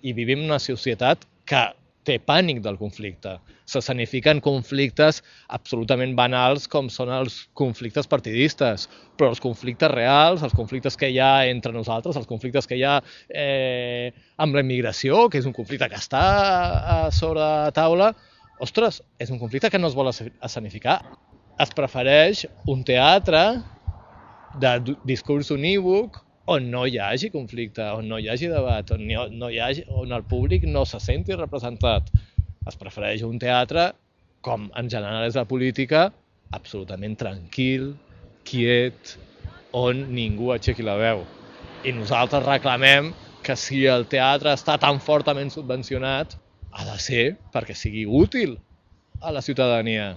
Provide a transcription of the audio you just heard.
i vivim en una societat que té pànic del conflicte. S'escenifiquen conflictes absolutament banals com són els conflictes partidistes, però els conflictes reals, els conflictes que hi ha entre nosaltres, els conflictes que hi ha amb la immigració, que és un conflicte que està sobre la taula, ostres, és un conflicte que no es vol escenificar. Es prefereix un teatre de discurs unívoc on no hi hagi conflicte, on no hi hagi debat, on el públic no se senti representat. Es prefereix un teatre, com en general és la política, absolutament tranquil, quiet, on ningú aixequi la veu. I nosaltres reclamem que si el teatre està tan fortament subvencionat, ha de ser perquè sigui útil a la ciutadania.